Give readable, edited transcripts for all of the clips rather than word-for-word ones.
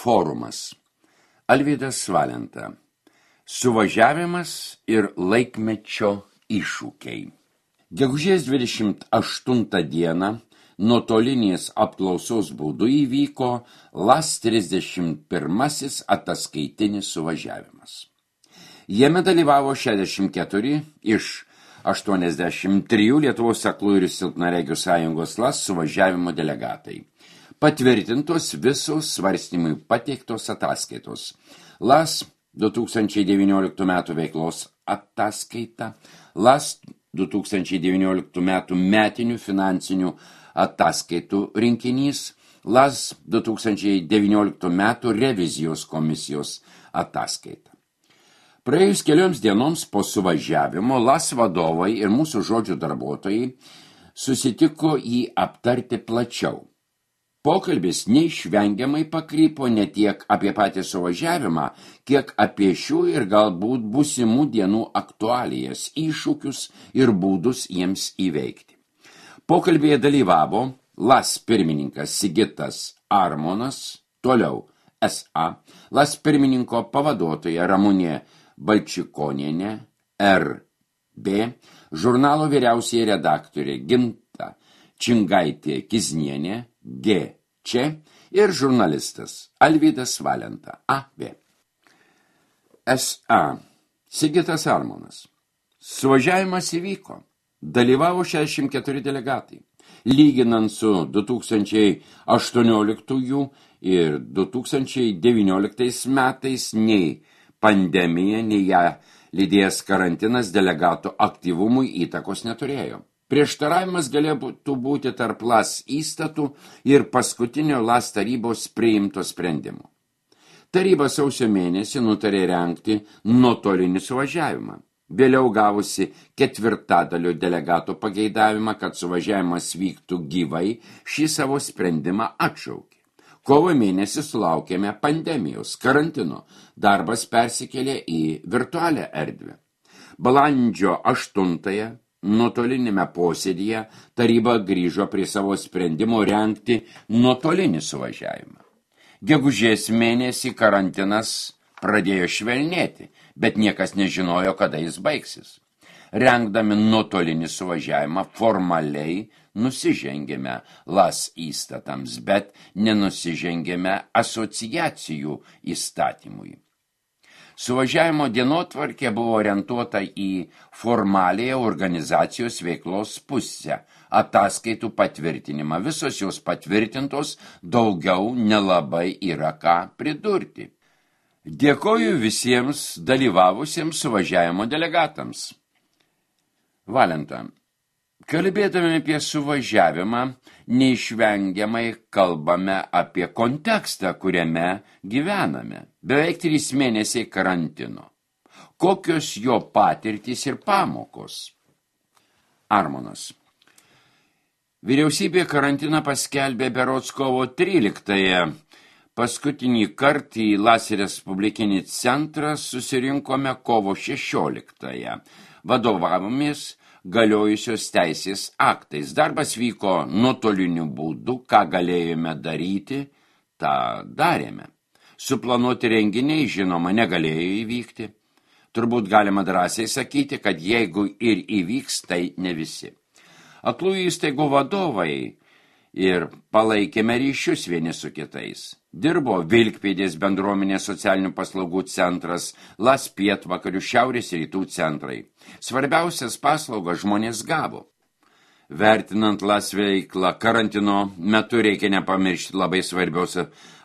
Forumas. Alvydas Valenta. Suvažiavimas ir laikmečio iššūkiai. Gegužės 28 dieną nuotolinės apklausos būdu įvyko LAS 31 ataskaitinis suvažiavimas. Jame dalyvavo 64 iš 83 Lietuvos aklųjų ir silpnaregių sąjungos LAS suvažiavimo delegatai. Patvirtintos visos svarstymui pateiktos ataskaitos. LAS 2019 metų veiklos ataskaita, LAS 2019 metų metinių finansinių ataskaitų rinkinys, LAS 2019 metų revizijos komisijos ataskaita. Praėjus kelioms dienoms po suvažiavimo LAS vadovai ir mūsų žodžių darbuotojai susitiko jį aptarti plačiau. Pokalbis neišvengiamai pakrypo ne tiek apie patį suvažiavimą, kiek apie šių ir galbūt būsimų dienų aktualijas, iššūkius ir būdus jiems įveikti. Pokalbėje dalyvavo LAS pirmininkas Sigitas Armonas, toliau SA, LAS pirmininko pavaduotoja Ramunė Balčikonienė, RB, žurnalo vyriausioji redaktorė Ginta Čingaitė Kiznienė, GC ir žurnalistas Alvydas Valenta, AV. SA. Sigitas Armonas. Suvažiavimas įvyko. Dalyvavo 64 delegatai. Lyginant su 2018 ir 2019 metais nei pandemija, nei ją lydėjęs karantinas delegatų aktyvumui įtakos neturėjo. Prieštaravimas galėtų būti tarp LAS įstatų ir paskutinio LAS tarybos priimto sprendimo. Taryba sausio mėnesį nutarė rengti nuotolinį suvažiavimą. Vėliau gavusi ketvirtadalio delegatų pageidavimą, kad suvažiavimas vyktų gyvai, šį savo sprendimą atšaukė. Kovo mėnesį sulaukėme pandemijos, karantino, darbas persikėlė į virtualią erdvę. Balandžio 8 nuotolinėme posėdyje taryba grįžo prie savo sprendimo rengti nuotolinį suvažiavimą. Gegužės mėnesį karantinas pradėjo švelnėti, bet niekas nežinojo, kada jis baigsis. Rengdami nuotolinį suvažiavimą formaliai nusižengėme LAS įstatams, bet nenusižengėme asociacijų įstatymui. Suvažiavimo dienotvarkė buvo orientuota į formaliąją organizacijos veiklos pusę, ataskaitų patvirtinimą. Visos jos patvirtintos, daugiau nelabai yra ką pridurti. Dėkoju visiems dalyvavusiems suvažiavimo delegatams. Valenta. Kalbėdami apie suvažiavimą, neišvengiamai kalbame apie kontekstą, kuriame gyvename. Beveik 3 mėnesiai karantino. Kokios jo patirtys ir pamokos? Armonas. Vyriausybė karantiną paskelbė berods kovo 13-ąją. Paskutinį kartą į LAS Respublikinį centrą susirinkome kovo 16-ąją. Vadovavomės galiojusios teisės aktais. Darbas vyko nuotoliniu būdu, ką galėjome daryti, tą darėme. Suplanuoti renginiai, žinoma, negalėjo įvykti. Turbūt galima drąsiai sakyti, kad jeigu ir įvyks, tai ne visi. Aklųjų įstaigų vadovai ir palaikėme ryšius vieni su kitais. Dirbo Vilkpėdės bendruomenės socialinių paslaugų centras, LAS pietvakarių šiaurės rytų centrai. Svarbiausias paslaugas žmonės gavo. Vertinant LAS veiklą karantino metu reikia nepamiršti labai svarbios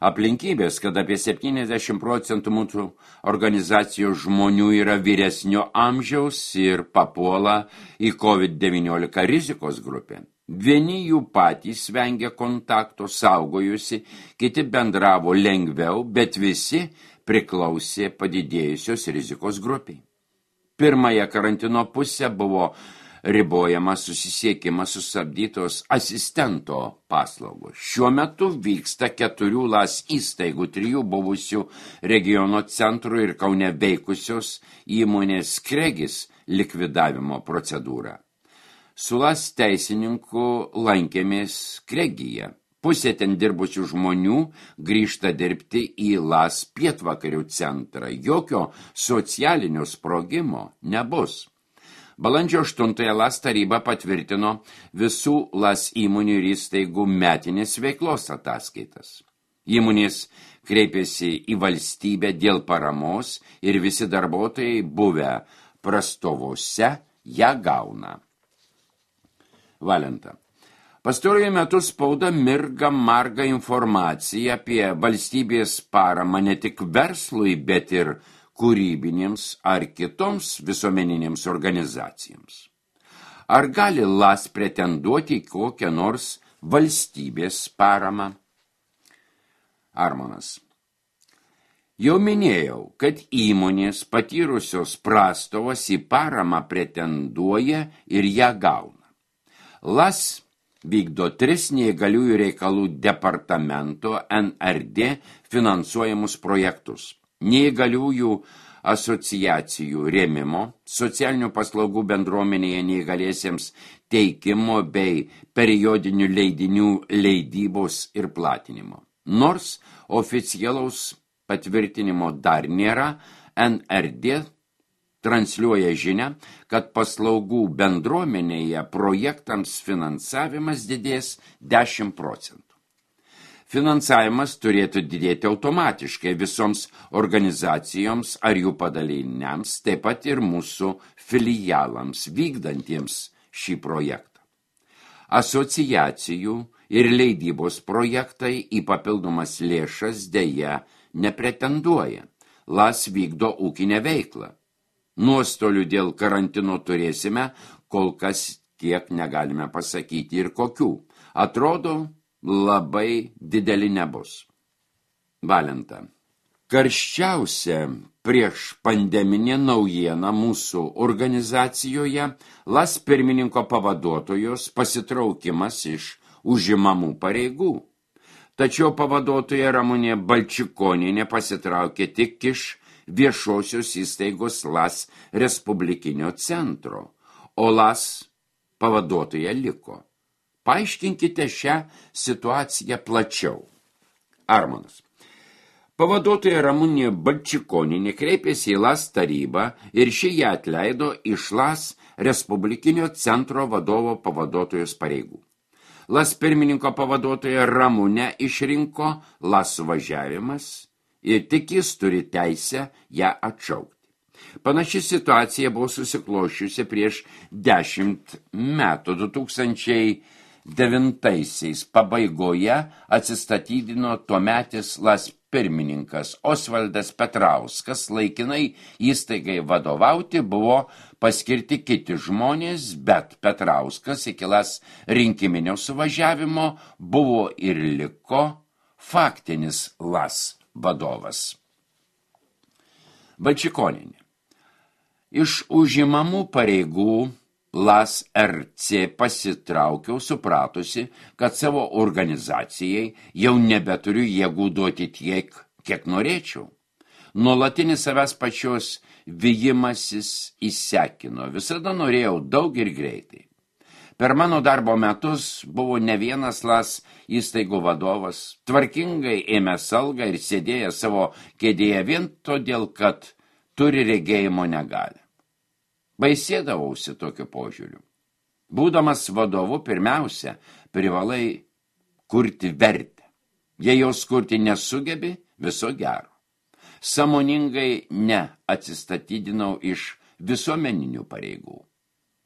aplinkybės, kad apie 70% mūsų organizacijos žmonių yra vyresnio amžiaus ir papuola į COVID-19 rizikos grupę. Vieni jų patys vengia kontakto, saugojusi, kiti bendravo lengviau, bet visi priklausė padidėjusios rizikos grupiai. Pirmąją karantino pusę buvo ribojamas susisiekimas sustabdytos asistento paslaugos. Šiuo metu vyksta 4 LAS įstaigų, 3 buvusių regiono centrų ir Kaune veikusios įmonės Kregis likvidavimo procedūra. Su LAS teisininku lankėmės Kregyje. Pusė ten dirbusių žmonių grįžta dirbti į LAS pietvakarių centrą. Jokio socialinio sprogimo nebus. Balandžio 8 LAS taryba patvirtino visų LAS įmonių ir įstaigų metinės veiklos ataskaitas. Įmonės kreipėsi į valstybę dėl paramos ir visi darbuotojai buvę prastovose ją gauna. Valenta. Pastaruoju metu spauda mirga marga informacija apie valstybės paramą ne tik verslui, bet ir kūrybinėms ar kitoms visuomeninėms organizacijoms. Ar gali LAS pretenduoti į kokią nors valstybės paramą? Armonas. Jau minėjau, kad įmonės patyrusios prastovas į paramą pretenduoja ir ją gauna. LAS vykdo 3 neįgaliųjų reikalų departamento NRD finansuojamus projektus. Neįgaliųjų asociacijų rėmimo, socialinių paslaugų bendruomenėje neįgaliesiems teikimo bei periodinių leidinių leidybos ir platinimo. Nors oficialaus patvirtinimo dar nėra, NRD transliuoja žinią, kad paslaugų bendruomenėje projektams finansavimas didės 10%. Finansavimas turėtų didėti automatiškai visoms organizacijoms ar jų padaliniams, taip pat ir mūsų filialams vykdantiems šį projektą. Asociacijų ir leidybos projektai į papildomas lėšas deja nepretenduoja. LAS vykdo ūkinę veiklą. Nuostolių dėl karantino turėsime, kol kas tiek negalime pasakyti ir kokių. Atrodo, labai dideli nebus. Valenta. Karščiausia prieš pandeminė naujiena mūsų organizacijoje LAS pirmininko pavaduotojos pasitraukimas iš užimamų pareigų. Tačiau pavaduotoja Ramunė Balčikonienė pasitraukė tik iš viešosios įstaigos LAS Respublikinio centro, o LAS pavaduotoja liko. Paaiškinkite šią situaciją plačiau. Armonas. Pavaduotoja Ramunė Balčikonienė kreipėsi į LAS tarybą ir ši ją atleido iš LAS Respublikinio centro vadovo pavaduotojos pareigų. LAS pirmininko pavaduotoja Ramunę išrinko LAS suvažiavimas ir tik jis turi teisę ją atšaukti. Panaši situacija buvo susiklošiusi prieš 10 metų. 2009 pabaigoje atsistatydino tuometis LAS pirmininkas Osvaldas Petrauskas, laikinai įstaigai vadovauti buvo paskirti kiti žmonės, bet Petrauskas iki LAS rinkiminio suvažiavimo buvo ir liko faktinis LAS vadovas. Balčikonienė. Iš užimamų pareigų LAS RC pasitraukiau supratusi, kad savo organizacijai jau nebeturiu jėgų duoti tiek, kiek norėčiau. Nuolatinis savęs pačios vijimasis įsekino, visada norėjau daug ir greitai. Per mano darbo metus buvo ne vienas LAS įstaigų vadovas, tvarkingai ėmęs algą ir sėdėjęs savo kėdėje vien todėl, kad turi regėjimo negalią. Baisėdavausi tokiu požiūriu. Būdamas vadovu, pirmiausia, privalai kurti vertę. Jei jos kurti nesugebi, viso gero. Sąmoningai atsistatydinau iš visuomeninių pareigų.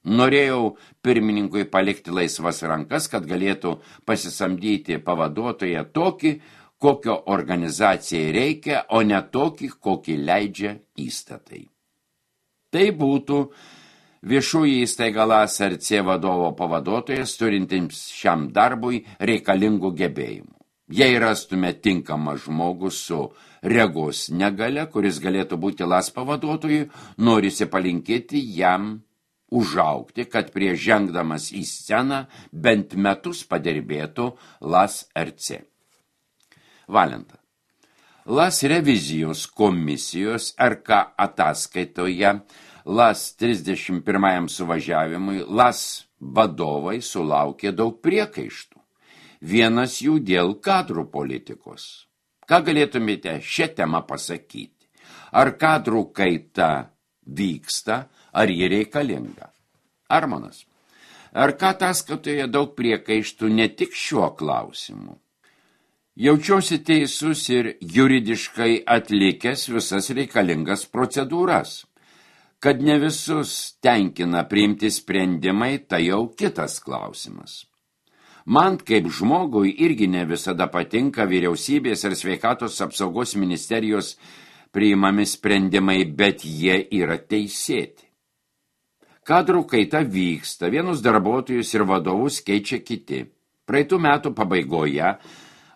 Norėjau pirmininkui palikti laisvas rankas, kad galėtų pasisamdyti pavaduotoją tokį, kokio organizacijai reikia, o ne tokį, kokį leidžia įstatai. Tai būtų viešųjų įstaiga LAS RC vadovo pavaduotojas, turintims šiam darbui reikalingų gebėjimų. Jei rastume tinkamą žmogų su regos negalia, kuris galėtų būti LAS pavaduotojui, norisi palinkėti jam užaugti, kad prieš žengdamas į sceną bent metus padirbėtų LAS RC. Valenta. LAS revizijos komisijos RK ataskaitoje LAS 31 suvažiavimui LAS vadovai sulaukė daug priekaištų. vienas jų dėl kadrų politikos. Ką galėtumėte šią temą pasakyti? Ar kadrų kaita vyksta, ar ji reikalinga? Armonas, ar ką ataskaitoje daug priekaištų ne tik šiuo klausimu? Jaučiuosi teisus ir juridiškai atlikęs visas reikalingas procedūras. Kad ne visus tenkina priimti sprendimai, tai jau kitas klausimas. Man kaip žmogui irgi ne visada patinka vyriausybės ir sveikatos apsaugos ministerijos priimami sprendimai, bet jie yra teisėti. Kadrų kaita vyksta, vienus darbuotojus ir vadovus keičia kiti. Praeitų metų pabaigoje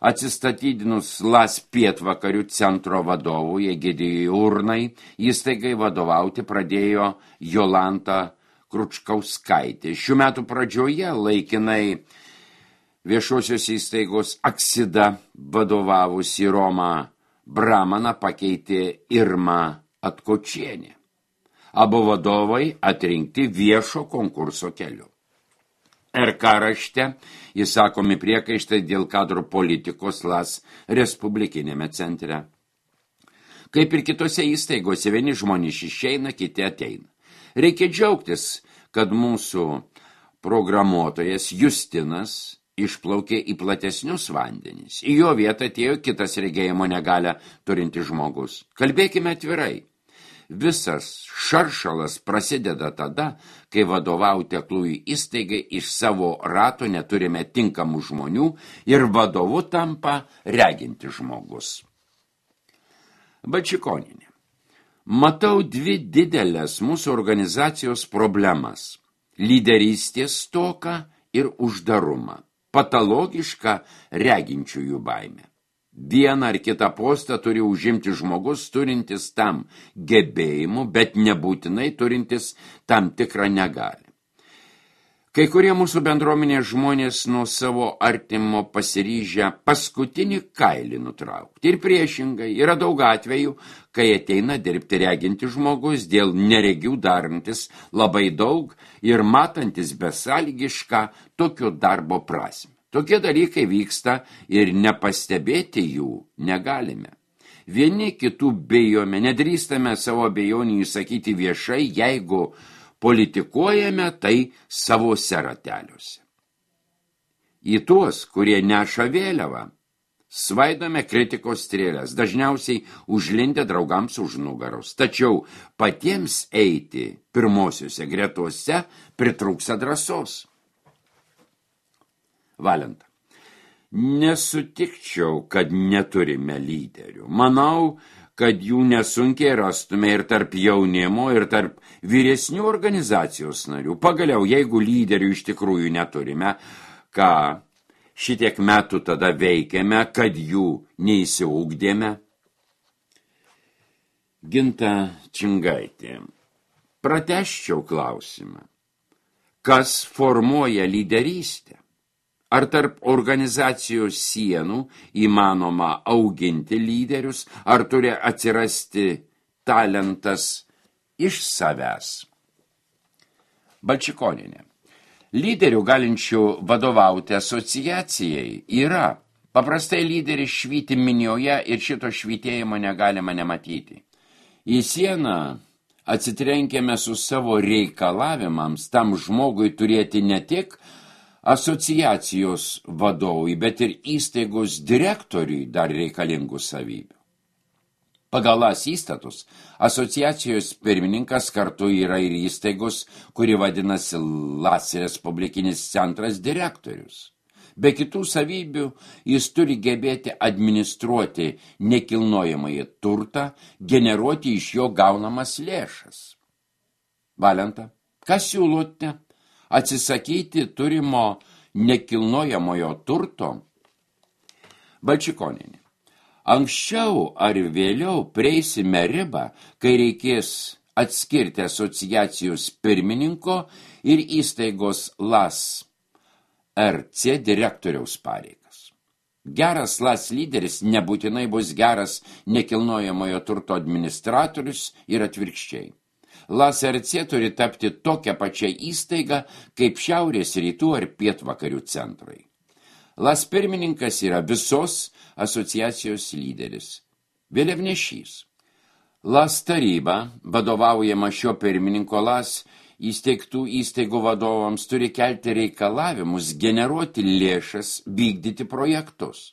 atsistatydinus LAS pietvakarių centro vadovui Egidijui Urnai, įstaigai vadovauti pradėjo Jolanta Kručkauskaitė. Šių metų pradžioje laikinai viešosios įstaigos Aksida vadovavusi Romą Bramaną pakeitė Irma Atkočienė. Abu vadovai atrinkti viešo konkurso keliu. RK rašte įsakomi priekaištai dėl kadrų politikos LAS Respublikinėme centre. Kaip ir kitose įstaigose, vieni žmonės išeina, kiti ateina. Reikia džiaugtis, kad mūsų programuotojas Justinas išplaukė į platesnius vandenis. Į jo vietą atėjo kitas regėjimo negalią turintis žmogus. Kalbėkime atvirai. Visas šaršalas prasideda tada, kai vadovauti aklųjų įstaigai iš savo rato neturime tinkamų žmonių ir vadovu tampa reginti žmogus. Balčikonienė. Matau dvi didelės mūsų organizacijos problemas – lyderystės stoką ir uždarumą, patologišką reginčiųjų baimę. Vieną ar kitą postą turi užimti žmogus turintis tam gebėjimų, bet nebūtinai turintis tam tikrą negalią. Kai kurie mūsų bendruomenės žmonės nuo savo artimo pasiryžę paskutinį kailį nutraukti. Ir priešingai, yra daug atvejų, kai ateina dirbti reginti žmogus, dėl neregių darantis labai daug ir matantis besąlygišką tokio darbo prasmę. Tokie dalykai vyksta ir nepastebėti jų negalime. Vieni kitų bijome, nedrįstame savo abejonių įsakyti viešai, jeigu politikuojame tai savose rateliuose. Į tuos, kurie neša vėliavą, svaidome kritikos strėlės, dažniausiai užlindę draugams už nugaros. Tačiau patiems eiti pirmosiuose gretose pritrūksta drąsos. Valenta. Nesutikčiau, kad neturime lyderių. Manau, kad jų nesunkiai rastume ir tarp jaunimo, ir tarp vyresnių organizacijos narių. Pagaliau, jeigu lyderių iš tikrųjų neturime, ką šitiek metų tada veikiame, kad jų neįsiugdėme? Ginta Čingaitė. Pratęsčiau klausimą. Kas formuoja lyderystę? Ar tarp organizacijos sienų įmanoma auginti lyderius, ar turi atsirasti talentas iš savęs? Balčikonienė. Lyderių galinčių vadovauti asociacijai yra. Paprastai lyderis švyti minioje ir šito švytėjimo negalima nematyti. Į sieną atsitrenkėme su savo reikalavimams tam žmogui turėti ne tik asociacijos vadovui, bet ir įstaigos direktoriui dar reikalingų savybių. Pagal LAS įstatus, asociacijos pirmininkas kartu yra ir įstaigos, kuri vadinasi LAS Respublikinis centras direktorius. Be kitų savybių, jis turi gebėti administruoti nekilnojamąjį turtą, generuoti iš jo gaunamas lėšas. Valenta, ką siūlote? Atsisakyti turimo nekilnojamojo turto? Balčikonienė. Anksčiau ar vėliau prieisime ribą, kai reikės atskirti asociacijos pirmininko ir įstaigos LAS RC direktoriaus pareigas. Geras LAS lyderis nebūtinai bus geras nekilnojamojo turto administratorius ir atvirkščiai. LAS RC turi tapti tokią pačią įstaigą kaip šiaurės rytų ar pietvakarių centrai. LAS pirmininkas yra visos asociacijos lyderis, vėliavnešys. LAS taryba, vadovaujama šio pirmininko LAS įsteigtų įstaigų vadovams, turi kelti reikalavimus, generuoti lėšas, vykdyti projektus.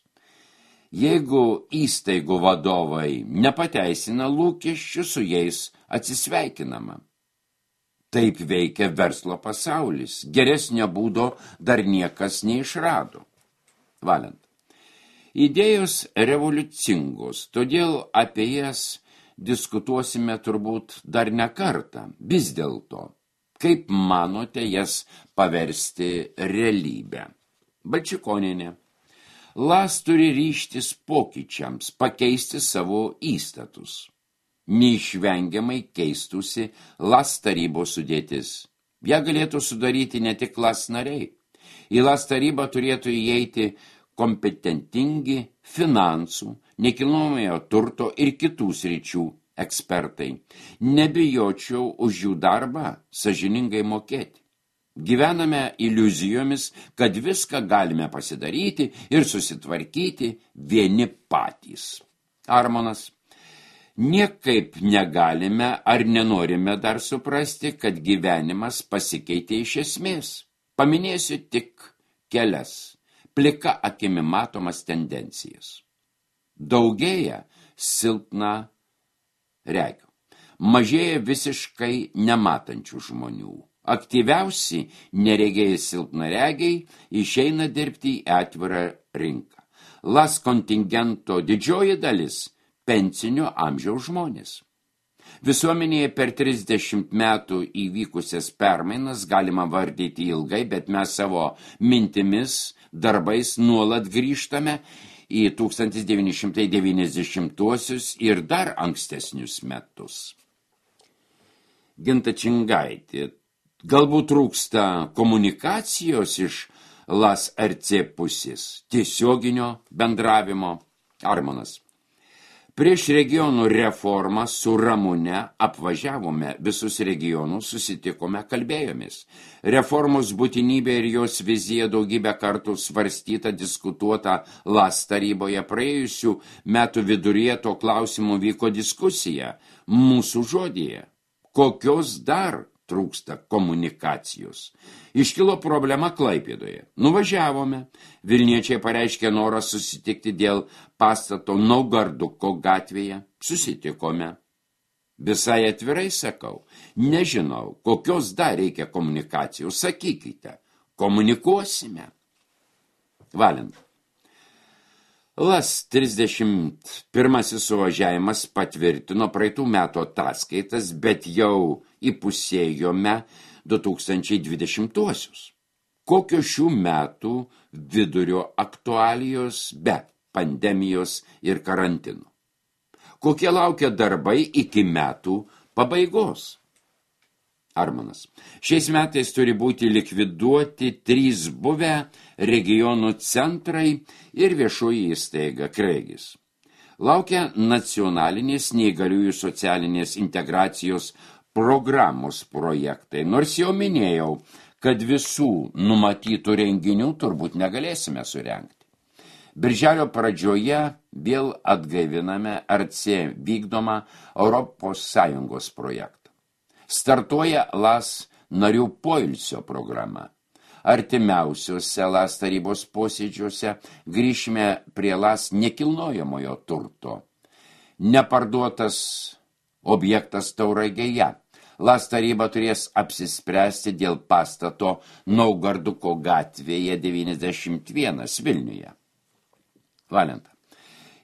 Jeigu įstaigų vadovai nepateisina lūkesčių, su jais atsisveikinama. Taip veikia verslo pasaulis. Geresnio būdo dar niekas neišrado. Valent. Idėjos revoliucingos, todėl apie jas diskutuosime turbūt dar ne kartą. Vis dėlto, kaip manote jas paversti realybę? Balčikonienė. LAS turi ryžtis pokyčiams, pakeisti savo įstatus. Neišvengiamai keistusi LAS tarybos sudėtis. Ja galėtų sudaryti ne tik LAS nariai. Į LAS tarybą turėtų įeiti kompetentingi finansų, nekilnojamojo turto ir kitų sričių ekspertai. Nebijočiau už jų darbą sąžiningai mokėti. Gyvename iliuzijomis, kad viską galime pasidaryti ir susitvarkyti vieni patys. Armonas. Niekaip negalime ar nenorime dar suprasti, kad gyvenimas pasikeitė iš esmės. Paminėsiu tik kelias, plika akimi matomas tendencijas. Daugėja silpna regių. Mažėja visiškai nematančių žmonių. Aktyviausi neregiai silpnaregiai išeina dirbti į atvirą rinką. LAS kontingento didžioji dalis – pensinio amžiaus žmonės. Visuomenėje per 30 metų įvykusias permainas galima vardyti ilgai, bet mes savo mintimis, darbais nuolat grįžtame į 1990-uosius ir dar ankstesnius metus. Ginta Čingaitė. Galbūt trūksta komunikacijos iš LAS RC pusės, tiesioginio bendravimo. Armonas. Prieš regionų reformą su Ramune apvažiavome visus regionus, susitikome, kalbėjomės. Reformos būtinybė ir jos vizija daugybę kartų svarstyta, diskutuota LAS taryboje. Praėjusių metų viduryje to klausimu vyko diskusija mūsų žodyje. Kokios dar trūksta komunikacijos. Iškilo problema Klaipėdoje. Nuvažiavome. Vilniečiai pareiškė norą susitikti dėl pastato Naugarduko gatvėje. Susitikome. Visai atvirai sakau, nežinau, kokios dar reikia komunikacijos. Sakykite, komunikuosime. Valent. LAS 31 suvažiavimas patvirtino praeitų metų ataskaitas, bet jau įpusėjome 2020-uosius. Kokios šių metų vidurio aktualijos be pandemijos ir karantino? Kokie laukia darbai iki metų pabaigos? Armonas. Šiais metais turi būti likviduoti 3 buvę regionų centrai ir viešoji įstaiga Kreigis. Laukia nacionalinės neįgaliųjų socialinės integracijos programos projektai. Nors jau minėjau, kad visų numatytų renginių turbūt negalėsime surengti. Birželio pradžioje vėl atgaiviname RC vykdomą ES projektą. Startuoja LAS narių poilsio programa. Artimiausiuose LAS tarybos posėdžiuose grįšime prie LAS nekilnojamojo turto. Neparduotas objektas Tauragėje. LAS taryba turės apsispręsti dėl pastato Naugarduko gatvėje 91 Vilniuje. Valenta.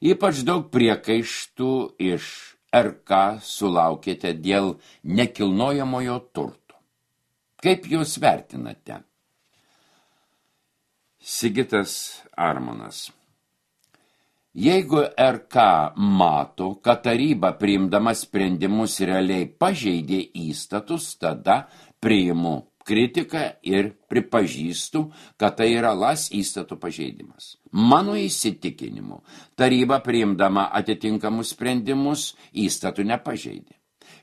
Ypač daug priekaištų iš RK sulaukėte dėl nekilnojamojo turto. Kaip jūs vertinate? Sigitas Armonas. Jeigu RK mato, kad taryba priimdama sprendimus realiai pažeidė įstatus, tada priimu kritiką ir pripažįstu, kad tai yra LAS įstatų pažeidimas. Mano įsitikinimu, taryba priimdama atitinkamus sprendimus įstatų nepažeidė.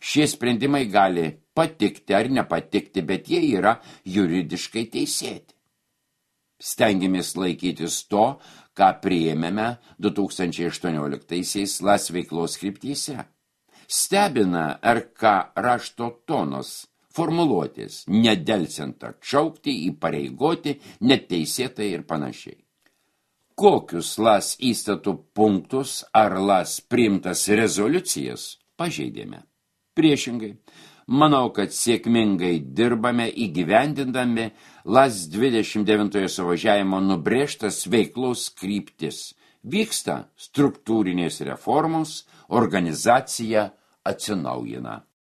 Šie sprendimai gali patikti ar nepatikti, bet jie yra juridiškai teisėti. Stengiamės laikytis to, ką priėmėme 2018-aisiais LAS veiklos kryptyse. Stebina RK rašto tonos, formuluotės, nedelsiant atšaukti, įpareigoti, neteisėtai ir panašiai. Kokius LAS įstatų punktus ar LAS priimtas rezoliucijas pažeidėme? Priešingai, manau, kad sėkmingai dirbame įgyvendindami LAS 29 suvažiavimo nubrėžtas veiklos kryptis. Vyksta struktūrinės reformos, organizacija atsinaujina.